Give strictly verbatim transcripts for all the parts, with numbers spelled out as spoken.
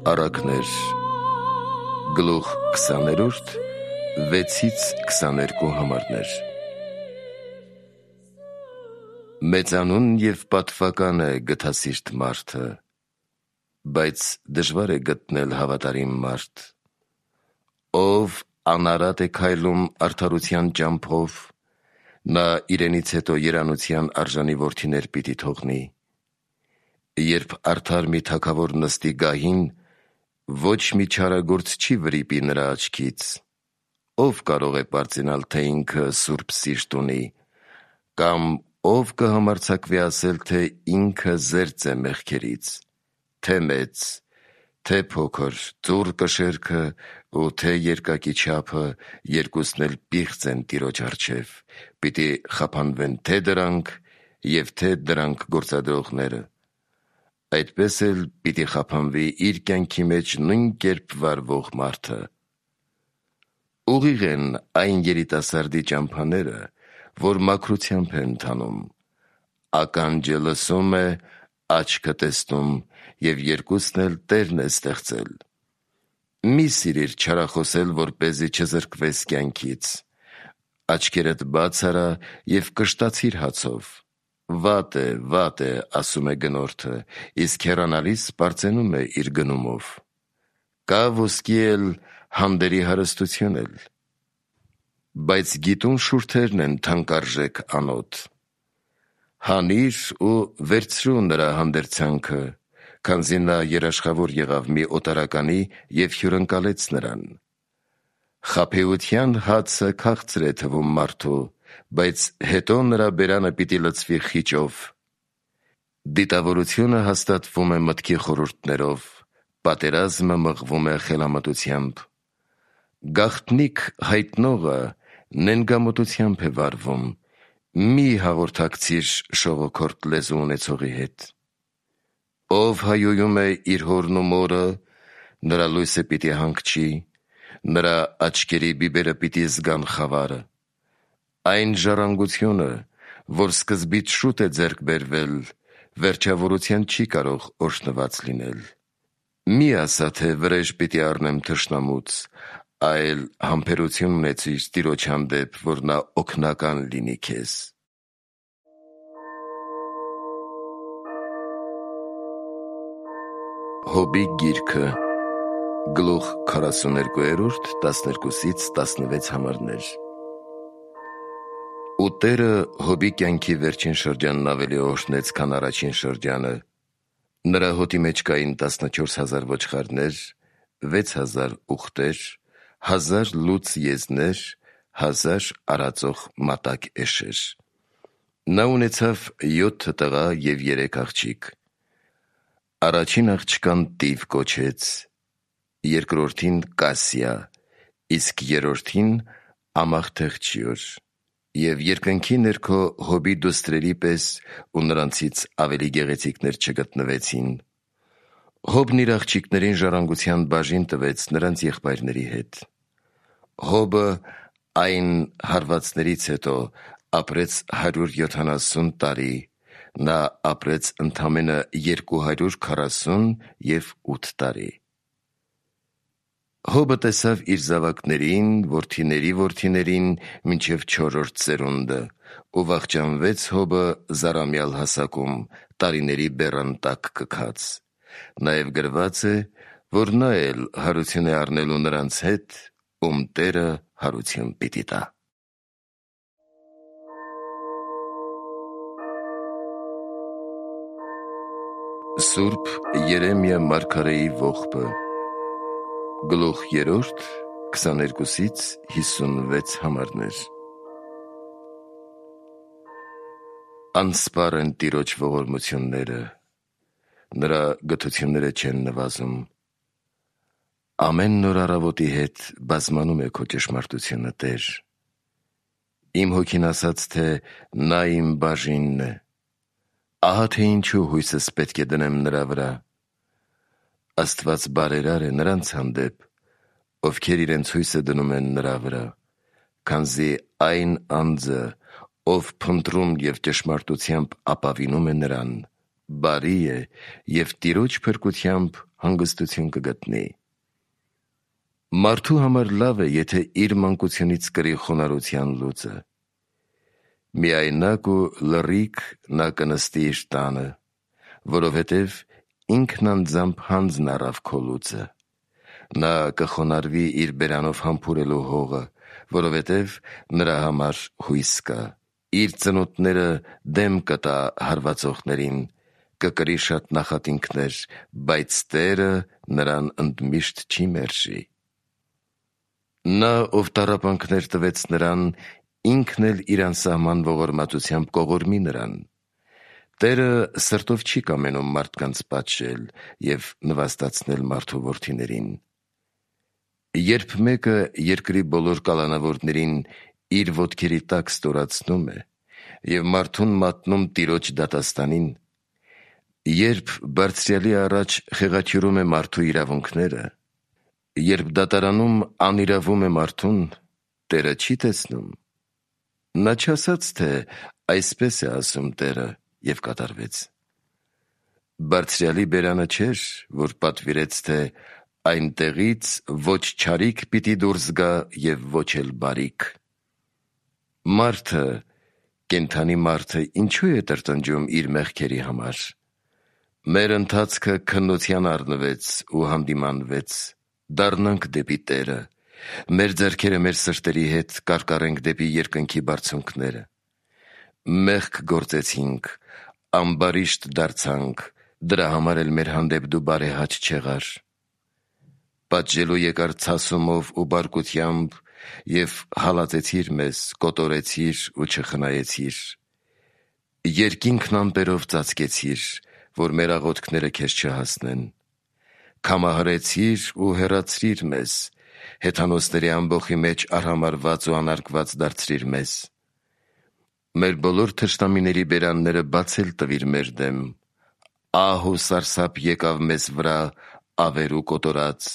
Առակներ գլուխ քսաներորդ վեցից քսաներկու համարներ Մեծանուն և պատվական է գթասիրտ մարդը, բայց դժվար է գտնել հավատարիմ մարդ, ով անարատ է քայլում արդարության ճամփով, նա իրենից հետո երանության արժանի որդիներ պիտի թողնի, երբ արդար մի թագավոր նստի գահին, ոչ մի չարագործ չի վրիպի նրա աչքից, ով կարող է պարծենալ, թե ինքը սուրբ սիրտ ունի, կամ ով կհամարձակվի ասել, թե ինքը զերծ է մեղքերից, թե մեծ, թե փոքր, ծուռ կշերքը ու թե երկակի չափը, երկուսն էլ պիղծ են Տիրոջ առջև, պիտի խափանվեն թե դրանք և թե դրանք գործադրողները, այդպես էլ պիտի խափանվի իր կյանքի մեջ նույն կերպ վարվող մարդը։ Ուղիղ են այն երիտասարդի ճամփաները, որ մաքրությամբ է ընթանում, ականջը լսում է, աչքը տեսնում, և երկուսն էլ Տերն է ստեղծել։ Մի սիրիր չարախոսել, որպեսզի չզրկվես կյանքից, աչքերդ բաց արա և կշտացիր հացով, վատ է, վատ է, ասում է գնորդը, իսկ հեռանալիս պարծենում է իր գնումով, կա ոսկի էլ, հանդերի հարստություն էլ, բայց գիտուն շուրթերն են թանկարժեք անոտ, հանիր ու վերցրու նրա հանդերձանքը, քանզի նա երաշխավոր եղավ մի օտարականի և հյուրընկալեց նրան։ Խաբեության հացը քաղցր է թվում մարդու, բայց հետո նրա բերանը պիտի լցվի խիճով։ Դիտավորությունը հաստատվում է մտքի խորհուրդներով, պատերազմը մղվում է խելամտությամբ։ Գաղտնիք հայտնողը նենգամոտությամբ է վարվում, մի հաղորդակցիր շողոքորթ լեզու ունեցողի հետ։ Ով հայոյում է իր հորն ու մորը, նրա լույսը պիտի հանգչի, նրա աչքերի բիբերը պիտի զգան խավարը։ Այն ժառանգությունը, որ սկզբից շուտ է ձեռք բերվել, վերջավորության չի կարող օրհնված լինել։ Մի ասա, թե վրեժ պիտի առնեմ թշնամուց, այլ համբերություն ունեցիր Տիրոջ հանդեպ, որ նա օգնական լինի քեզ։ Հոբի գիրքը գլուխ քառասուներկուերորդ տասներկուսից տասնվեց համարներ Ու Տերը Հոբի կյանքի վերջին շրջանն ավելի օրհնեց, քան առաջին շրջանը, նրա հոտի մեջ կային տասնչորս հազար ոչխարներ, վեց հազար ուղտեր, հազար լուծ եզներ, հազար արածող մատակ էշեր։ Նա ունեցավ յոթ տղա և երեք աղջիկ։ Առաջին աղջկան Տիվ կոչեց, երկրորդին Կասիա, իսկ երրորդին Ամաղթեղջյուր, և երկնքի ներքո Հոբի դուստրերի պես ու նրանցից ավելի գեղեցիկներ չգտնվեցին։ Հոբն իր աղջիկներին ժառանգության բաժին տվեց նրանց եղբայրների հետ։ Հոբը այն հարվածներից հետո ապրեց հարյուր յոթանասուն տարի, նա ապրեց ընդամենը երկու հարյուր քառասուն և ութ տարի։ Հոբը տեսավ իր զավակներին, որդիների որդիներին, մինչև չորրորդ սերունդը, ու վախճանվեց Հոբը զառամյալ հասակում, տարիների բեռան տակ կքած։ Նաև գրված է, որ նա էլ հարություն է առնելու նրանց հետ, ում Տերը հարություն պիտի տա։ Սուրբ Երեմիա մարգարեի ողբը գլուխ երրորդ քսաներկուսից հիսունվեց համարներ Անսպառ են Տիրոջ ողորմությունները, նրա գթությունները չեն նվազում։ Ամեն նոր առավոտի հետ բազմանում է քո ճշմարտությունը, Տեր։ Իմ հոգին ասաց, թե նա իմ բաժինն է, ահա թե ինչու հույսս պետք է դնեմ նրա վրա։ Աստված բարերար է նրանց հանդեպ, ովքեր իրենց հույսը դնում են նրա վրա, քանզի այն անձը, ով փնտրում և ճշմարտությամբ ապավինում է նրան, բարի է և Տիրոջ փրկությամբ հանգստություն կգտնի։ Մարդու համար լավ է, եթե իր մանկությունից կրի խոնարհության լուծը։ Միայնակ ու լռիկ նա կնստի իր տանը, որովհետև ինքն անձամբ հանձն առավ քո լուծը։ Նա կխոնարհվի իր բերանով համբուրելու հողը, որովհետև նրա համար հույս կա։ Իր ծնոտները դեմ կտա հարվածողներին, կկրի շատ նախատինքներ, բայց Տերը նրան ընդմիշտ չի մերժի։ Նա, ով տառապանքներ տվեց նրան, ինքն էլ իր անսահման ողորմածությամբ կողորմի նրան։ Տերը սրտով չի կամենում մարդկանց պատժել և նվաստացնել մարդու որդիներին։ Երբ մեկը երկրի բոլոր կալանավորներին իր ոտքերի տակ ստորացնում է և մարդուն մատնում տիրոջ դատաստանին, երբ Բարձրյալի առաջ խեղաթյուրում է մարդու իրավունքները, երբ դատարանում անիրավում է մարդուն, Տերը չի տեսնում։ Նա չասաց, թե այսպես է ասում Տերը, և կատարվեց։ Բարձրյալի բերանը չէր, որ պատվիրեց, թե այնտեղից ոչ չարիք պիտի դուրս գա և ոչ էլ բարիք։ Մարդը, կենդանի մարդը ինչու է տրտնջում իր մեղքերի համար։ Մեր ընթացքը քննության առնվեց ու հանդիմանվեց, դառնանք դեպի Տերը, մեր ձեռքերը մեր սրտերի հետ կարկառենք դեպի երկնքի բարձունքները։ Մեղք գործեցինք, ամբարիշտ դարձանք, դրա համար էլ մեր հանդեպ դու բարեհաճ չեղար։ Պատժելու եկար ցասումով ու բարկությամբ և հալածեցիր մեզ, կոտորեցիր ու չխնայեցիր։ Երկինքն ամպերով ծածկեցիր, որ մեր աղոթքները քեզ չհասնեն։ Քամահարեցիր ու հեռացրիր մեզ, հեթանոսների ամբոխի մեջ արհամարհված ու անարգված դարձրիր մեզ։ Մեր բոլոր թշնամիների բերանները բացել տվիր մեր դեմ, ահ ու սարսափ եկավ մեզ վրա ավեր ու կոտորած։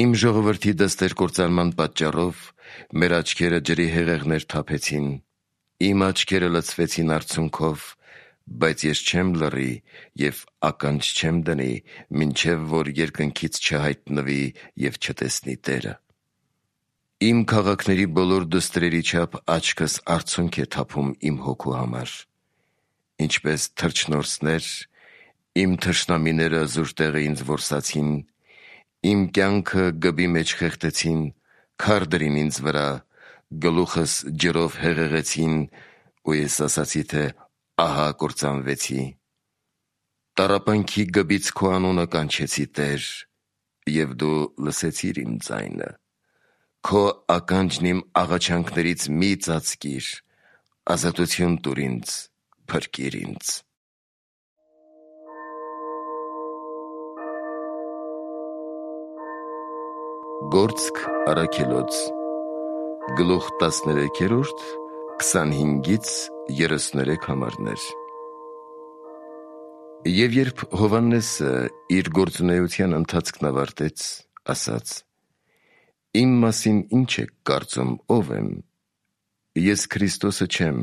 Իմ ժողովրդի դստեր կործանման պատճառով մեր աչքերը ջրի հեղեղներ թափեցին, իմ աչքերը լցվեցին արցունքով, բայց ես չեմ լռի և ականջ չեմ դնի, մինչև որ երկնքից չհայտնվի և չտեսնի Տերը։ Իմ քաղաքների բոլոր դուստրերի չափ աչքս արցունք է թափում իմ հոգու համար։ Ինչպես թռչնորսներ, իմ թշնամիները զուր տեղը ինձ որսացին, իմ կյանքը գբի մեջ խեղդեցին, քար դրին ինձ վրա, գլուխս ջրով հեղեղեցին, ու ես ասացի, թե ահա կործանվեցի։ Տառապանքի գբից քո անունը կանչեցի, Տեր, և դու լսեցիր իմ ձայնը։ Քո ականջն իմ աղաչանքներից մի ծածկիր, ազատություն տուր ինձ, փրկիր ինձ։ Գործք առաքելոց, գլուխ տասներեքերորդ, քսանհինգից երեսուներեք համարներ։ Եվ երբ Հովհաննեսը իր գործունեության ընթացքն ավարտեց, ասաց. «Իմ մասին ինչ եք կարծում, ով եմ։ Ես Քրիստոսը չեմ,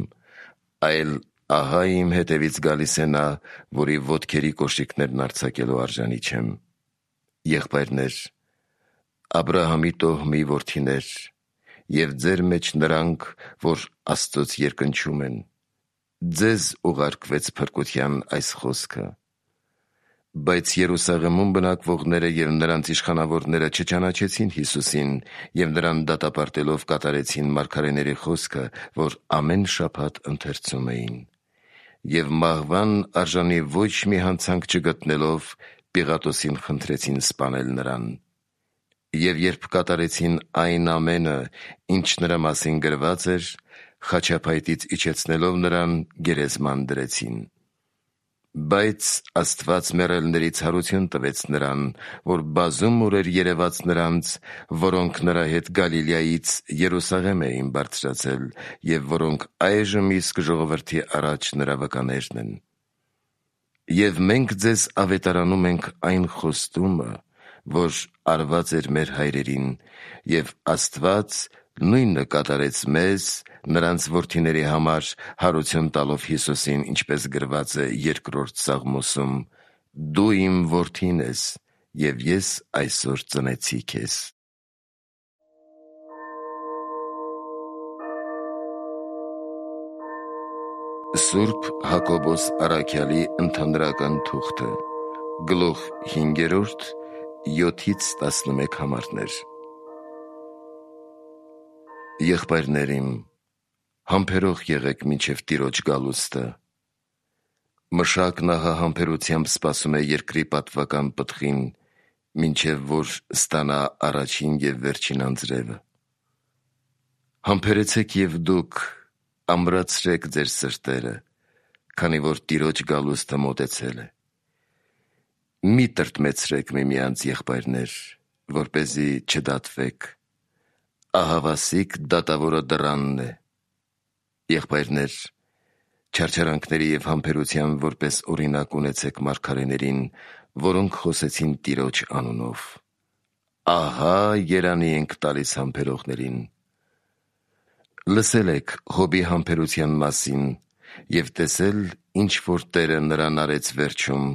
այլ ահա իմ հետևից գալիս է նա, որի ոտքերի կոշիկներն արձակելու արժանի չեմ։ Եղբայրներ, Աբրահամի տոհմի որդիներ, և ձեր մեջ նրանք, որ Աստծուց երկնչում են, ձեզ ուղարկվեց փրկության այս խոսքը։ Բայց Երուսաղեմում բնակվողները և նրանց իշխանավորները չճանաչեցին Հիսուսին և նրան դատապարտելով կատարեցին մարգարեների խոսքը, որ ամեն շաբաթ ընթերցում էին։ Եվ մահվան արժանի ոչ մի հանցանք չգտնելով, Պիղատոսին խնդրեցին սպանել նրան։ Եվ երբ կատարեցին այն ամենը, ինչ նրա մասին գրված էր, խաչափայտից իջեցնելով նրան, գերեզման դրեցին։ Բայց Աստված մեռելներից հարություն տվեց նրան, որ բազում օրեր երևաց նրանց, որոնք նրա հետ Գալիլեայից Երուսաղեմ էին բարձրացել և որոնք այժմ իսկ ժողովրդի առաջ նրա վկաներն են։ Եվ մենք ձեզ ավետարանում ենք այն խոստումը, որ արված էր մեր հայրերին, և Աստված նույնը կատարեց մեզ, նրանց որդիների համար, հարություն տալով Հիսուսին, ինչպես գրված է երկրորդ Սաղմոսում. «Դու իմ որդին ես, և ես այսօր ծնեցի քեզ։ Սուրբ Հակոբոս առաքյալի ընդհանրական թուղթը, գլուխ հինգերորդ, յոթից տասնմեկ համարներ։ Եղբայրներ իմ, համբերող եղեք մինչև Տիրոջ գալուստը։ Մշակն ահա համբերությամբ սպասում է երկրի պատվական պտղին, մինչև որ ստանա առաջին և վերջին անձրևը։ Համբերեցեք և դուք ամրացրեք ձեր սրտերը, քանի որ Տիրոջ գալուստը մոտեցել է։ Մի տրտմեցրեք միմյանց, եղբայրներ, որպեսզի չդատվեք։ Ահավասիկ դատավորը դռանն է։ Եղբայրներ, չարչարանքների և համբերության որպես օրինակ ունեցեք մարգարեներին, որոնք խոսեցին Տիրոջ անունով։ Ահա երանի ենք տալիս համբերողներին։ Լսել եք Հոբի համբերության մասին և տեսել, ինչ որ Տերը նրան արեց վերջում,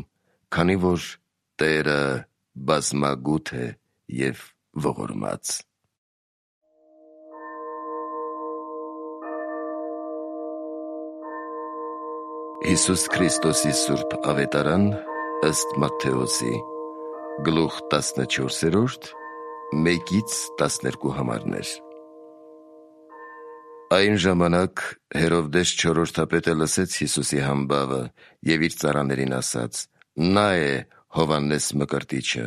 քանի որ Տերը բազմագութ է և ողորմած։ Հիսուս Քրիստոսի սուրբ ավետարան ըստ Մատթեոսի, գլուխ տասնչորսերորդ, մեկից տասներկու համարներ։ Այն ժամանակ Հերովդես չորրորդապետը լսեց Հիսուսի համբավը և իր ծառաներին ասաց. «Նա է Հովհաննես Մկրտիչը,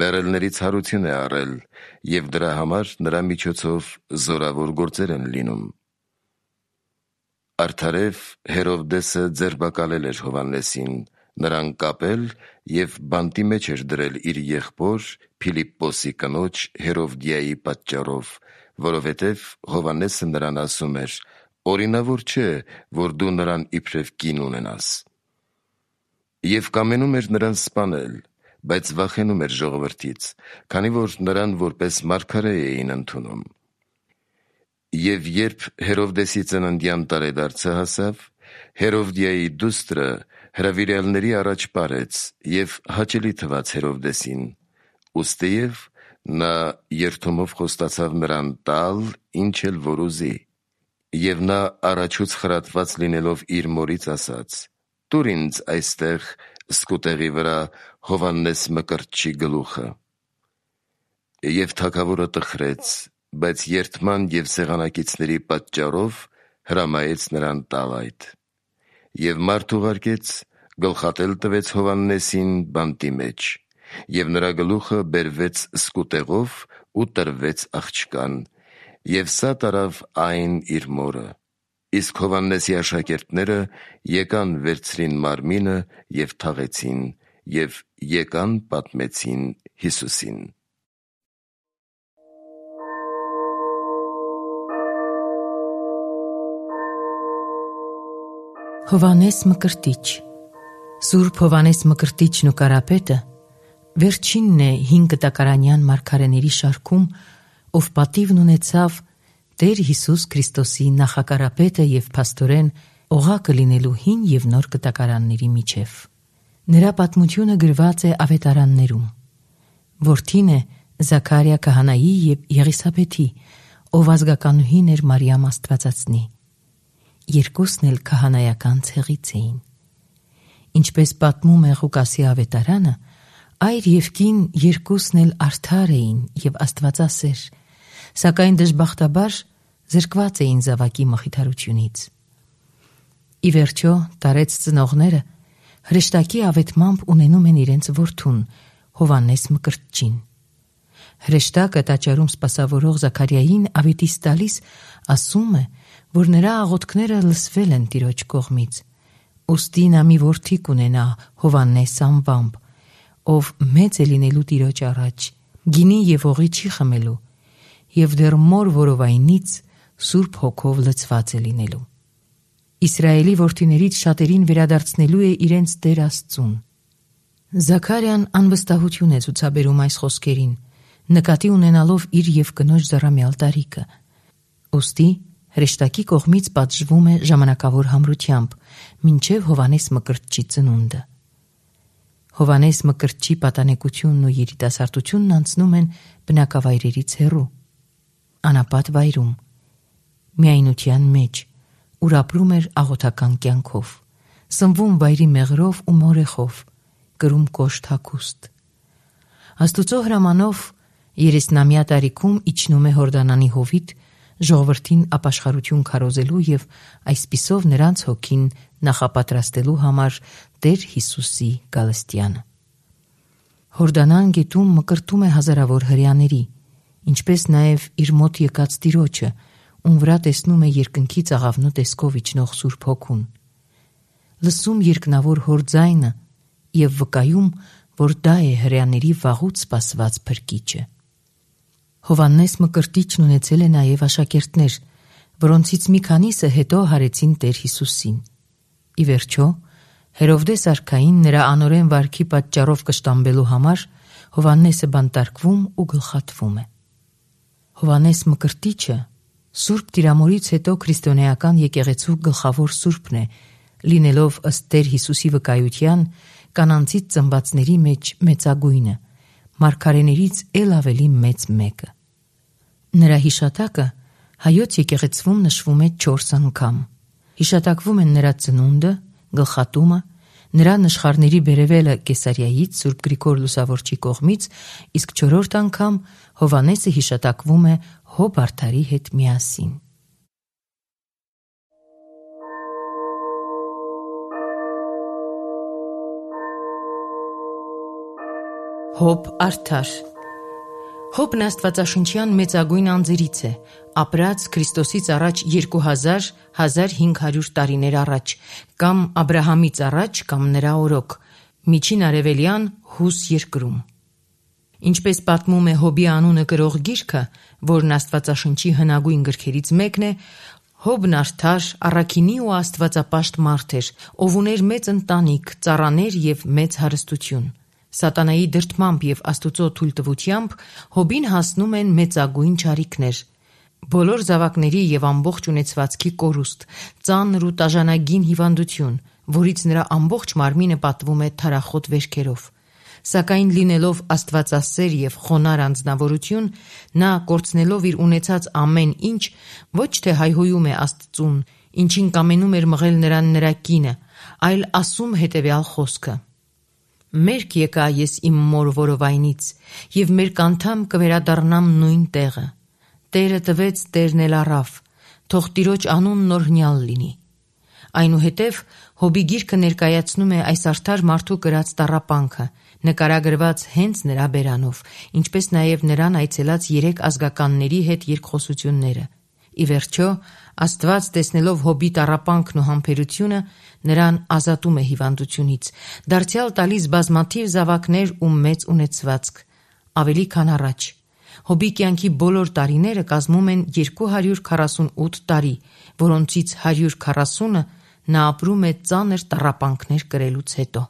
մեռելներից հարություն է առել, և դրա համար նրա միջոցով զորավոր գործեր են լինում»։ Արդարև Հերովդեսը ձերբակալել էր Հովհաննեսին, նրան կապել և բանտի մեջ էր դրել իր եղբոր Փիլիպպոսի կնոջ Հերովդիայի պատճառով, որովհետև Հովհաննեսը նրան ասում էր. «Օրինավոր չէ, որ դու նրան իբրև կին ունենաս»։ Եվ կամենում էր նրան սպանել, բայց վախենում էր ժողովրդից, քանի որ նրան որպես մարգարե էին ընդունում։ Եվ երբ Հերովդեսի ծննդյան տարեդարձը հասավ, Հերովդիայի դուստրը հրավիրյալների առաջ պարեց և հաճելի թվաց Հերովդեսին, ուստիև նա երդումով խոստացավ նրան տալ, ինչ էլ որ ուզի։ Եվ նա առաջուց խրատված լինելով իր մորից ասաց. «Տուր ինձ այստեղ սկուտեղի վրա Հովհաննես Մկրտչի գլուխը»։ Եվ թագավորը տխրեց, բայց երդման և սեղանակիցների պատճառով հրամայեց նրան տալ այդ։ Եվ մարդ ուղարկեց, գլխատել տվեց Հովհաննեսին բանտի մեջ, և նրա գլուխը բերվեց սկուտեղով ու տրվեց աղջկան, և սա տարավ այն իր մորը։ Իսկ Հովհաննեսի աշակերտները եկան վերցրին մարմինը և թաղեցին, և եկան պատմեցին Հիսուսին։ Հովհաննես Մկրտիչ։ Սուրբ Հովհաննես Մկրտիչն ու Կարապետը վերջինն է հինգ տակարանյան մարգարեների շարքում, ով պատիվն ունեցավ Տեր Հիսուս Քրիստոսի նախակարապետը և փաստորեն օղակը լինելու հին և նոր կտակարանների միջև։ Նրա պատմությունը գրված է ավետարաններում։ Որդին է Զաքարիա քահանայի և Եղիսաբեթի, ով ազգականուհին էր Մարիամ Աստվածածնի։ Երկուսն էլ քահանայական ցեղից էին։ Ինչպես պատմում է Ղուկասի ավետարանը, այր և կին երկուսն էլ արդար էին և աստվածասեր, սակայն դժբախտաբար զրկված էին զավակի մխիթարությունից։ Ի վերջո տարեց ծնողները հրեշտակի ավետմամբ ունենում են իրենց որդուն Հովհաննես Մկրտչին։ Հրեշտակը տաճարում սպասավորող Զաքարիային ավետիս տալիս ասում է, որ նրա աղոթքները լսվել են Տիրոջ կողմից, ուստի նա մի որդի կունենա Հովհաննես անվամբ, ով մեծ է լինելու Տիրոջ առաջ, գինի և օղի չի խմելու, և դեռ մոր որովայնից Սուրբ Հոգով լցված է լինելու։ Իսրայելի որդիներից շատերին վերադարձնելու է իրենց Տեր Աստծուն։ Զաքարիան անվստահություն է ցուցաբերում այս խոսքերին, նկատի ունենալով իր և կնոջ զառամյալ տարիքը։ Ուստի հրեշտակի կողմից պատժվում է ժամանակավոր համրությամբ, մինչև Հովհաննես Մկրտչի ծնունդը։ Հովանես Մկրտչի պատանեկությունն ու երիտասարդությունն անցնում են բնակավայրերից հեռու, անապատ վայրում, միայնության մեջ, ուր ապրում էր աղոթական կյանքով, սնվում վայրի մեղրով ու մորեխով, կրում կոշտ հագուստ։ Աստուծո հրամանով երեսնամյա տարիքում իջնում է Հորդանանի հովիտ ժողովրդին ապաշխարություն քարոզելու եւ այսպիսով նրանց հոգին նախապատրաստելու համար Տեր Հիսուսի գալստյանը։ Հորդանան գետում մկրտում է հազարավոր հրեաների, ինչպես նաև իր մոտ եկած Տիրոջը, ում վրա տեսնում է երկնքից աղավնու տեսքով իջնող Սուրբ Հոգուն։ Լսում երկնավոր հոր ձայնը եւ վկայում, որ դա է հրեաների վաղուց սպասված փրկիչը։ Հովհաննես Մկրտիչն ունեցել է նաև աշակերտներ, որոնցից մի քանիսը հետո հարեցին Տեր Հիսուսին։ Ի վերջո, Հերովդես արքային նրա անօրեն վարքի պատճառով կշտամբելու համար Հովհաննեսը բանտարկվում ու գլխատվում է։ Հովհաննես Մկրտիչը Սուրբ Տիրամորից հետո քրիստոնեական եկեղեցու գլխավոր սուրբն է, լինելով ըստ Տեր Հիսուսի վկայության կանանցից ծնվածների մեջ մեծագույնը, մարգարեներից էլ ավելի մեծ մեկը։ Նրա հիշատակը հայոց եկեղեցվում նշվում է չորս անգամ։ Հիշատակվում են նրա ծնունդը, գլխատումը, նրա նշխարների բերևելը Կեսարիայից Սուրբ Գրիգոր Լուսավորչի կողմից, իսկ չորրորդ անգամ Հովհաննեսը հիշատակվում է Հոբ արդարի հետ միասին։ Հոբ արդար Հոբն աստվածաշնչյան մեծագույն անձերից է, ապրած Քրիստոսից առաջ երկու հազար - հազար հինգ հարյուր տարիներ առաջ, կամ Աբրահամից առաջ, կամ նրա օրոք, միջին արևելյան Հուս երկրում։ Ինչպես պատմում է Հոբի անունը կրող գիրքը, որն աստվածաշնչի հնագույն գրքերից մեկն է, Հոբն արդար, առաքինի ու աստվածապաշտ մարդ էր, ով ուներ մեծ ընտանիք, ծառաներ և մեծ հարստություն։ Սատանայի դրդմամբ և Աստուծո թույլտվությամբ Հոբին հասնում են մեծագույն չարիքներ, բոլոր զավակների և ամբողջ ունեցվածքի կորուստ, ծանր ու տաժանագին հիվանդություն, որից նրա ամբողջ մարմինը պատվում է թարախոտ վերքերով։ Սակայն լինելով աստվածասեր և խոնար անձնավորություն, նա կորցնելով իր ունեցած ամեն ինչ, ոչ թե հայհոյում է Աստծուն, ինչին կամենում էր մղել նրան նրա կինը, այլ ասում հետևյալ խոսքը. «Մերկ եկա ես իմ մոր որովայնից, և մերկ անդամ կվերադառնամ նույն տեղը։ Տերը տվեց, Տերն էլ առավ, թող Տիրոջ անունն օրհնյալ լինի»։ Այնուհետև Հոբի գիրքը ներկայացնում է այս արդար մարդու կրած տառապանքը, նկարագրված հենց նրա բերանով, ինչպես նաև նրան այցելած երեք ազգականների հետ երկխոսությունները։ Ի վերջո, Աստված տեսնելով Հոբի տառապանքն ու համբերությունը, նրան ազատում է հիվանդությունից, դարձյալ տալիս բազմաթիվ զավակներ ու մեծ ունեցվածք, ավելի քան առաջ։ Հոբի կյանքի բոլոր տարիները կազմում են երկու հարյուր քառասունութ տարի, որոնցից հարյուր քառասունը նա ապրում է ծանր տառապանքներ կրելուց հետո։